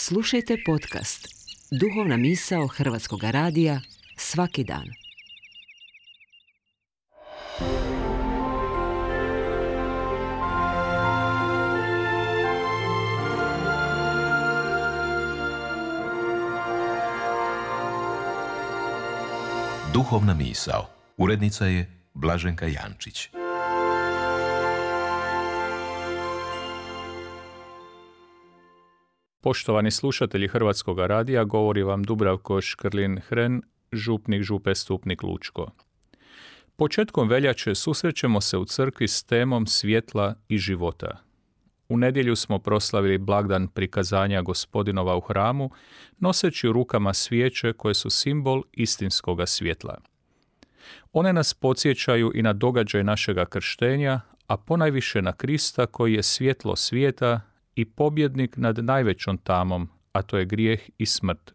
Slušajte podcast Duhovna misao Hrvatskog radija svaki dan. Duhovna misao. Urednica je Blaženka Jančić. Poštovani slušatelji Hrvatskog radija, govori vam Dubravko Škrlin-Hren, župnik Župe Stupnik Lučko. Početkom veljače susrećemo se u crkvi s temom svjetla i života. U nedjelju smo proslavili blagdan prikazanja Gospodinova u hramu, noseći u rukama svijeće koje su simbol istinskoga svjetla. One nas podsjećaju i na događaj našega krštenja, a ponajviše na Krista koji je svjetlo svijeta i pobjednik nad najvećom tamom, a to je grijeh i smrt.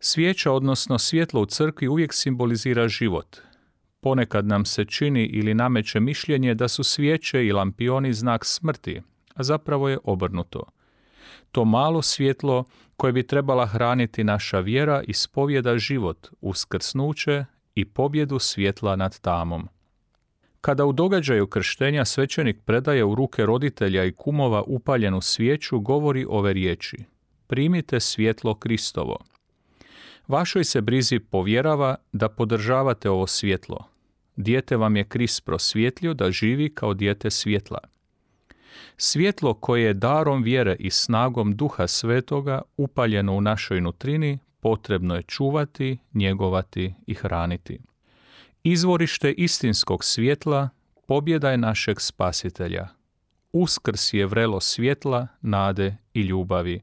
Svijeća, odnosno svjetlo u crkvi, uvijek simbolizira život. Ponekad nam se čini ili nameće mišljenje da su svijeće i lampioni znak smrti, a zapravo je obrnuto. To malo svjetlo koje bi trebala hraniti naša vjera ispovjeda život, uskrsnuće i pobjedu svjetla nad tamom. Kada u događaju krštenja svećenik predaje u ruke roditelja i kumova upaljenu svijeću, govori ove riječi: primite svjetlo Kristovo. Vašoj se brizi povjerava da podržavate ovo svjetlo. Dijete vam je Krist prosvjetlio da živi kao dijete svjetla. Svjetlo koje je darom vjere i snagom Duha Svetoga upaljeno u našoj nutrini, potrebno je čuvati, njegovati i hraniti. Izvorište istinskog svjetla pobjeda je našeg Spasitelja. Uskrs je vrelo svjetla, nade i ljubavi.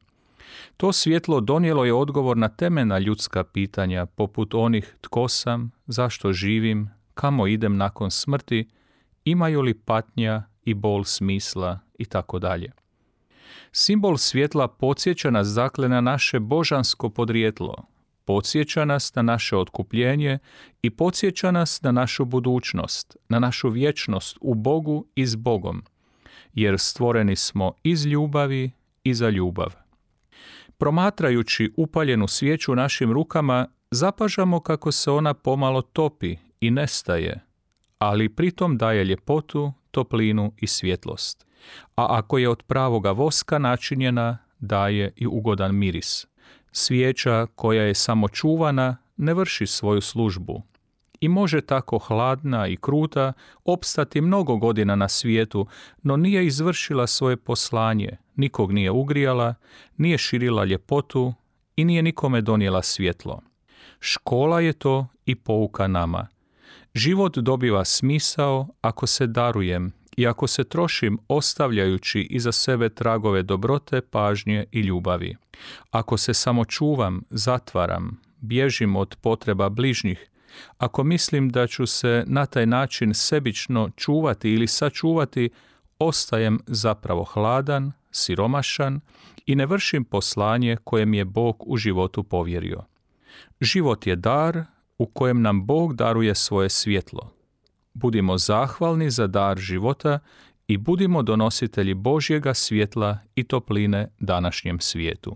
To svjetlo donijelo je odgovor na temeljna ljudska pitanja, poput onih tko sam, zašto živim, kamo idem nakon smrti, imaju li patnja i bol smisla i tako dalje. Simbol svjetla podsjeća nas dakle na naše božansko podrijetlo, podsjeća nas na naše otkupljenje i podsjeća nas na našu budućnost, na našu vječnost u Bogu i s Bogom, jer stvoreni smo iz ljubavi i za ljubav. Promatrajući upaljenu svijeću u našim rukama, zapažamo kako se ona pomalo topi i nestaje, ali pritom daje ljepotu, toplinu i svjetlost. A ako je od pravoga voska načinjena, daje i ugodan miris. Svijeća koja je samo čuvana ne vrši svoju službu i može tako hladna i kruta opstati mnogo godina na svijetu, no nije izvršila svoje poslanje, nikog nije ugrijala, nije širila ljepotu i nije nikome donijela svjetlo. Škola je to i pouka nama. Život dobiva smisao ako se darujem i ako se trošim ostavljajući iza sebe tragove dobrote, pažnje i ljubavi. Ako se samo čuvam, zatvaram, bježim od potreba bližnjih, ako mislim da ću se na taj način sebično čuvati ili sačuvati, ostajem zapravo hladan, siromašan i ne vršim poslanje koje mi je Bog u životu povjerio. Život je dar u kojem nam Bog daruje svoje svjetlo. Budimo zahvalni za dar života i budimo donositelji Božjega svjetla i topline današnjem svijetu.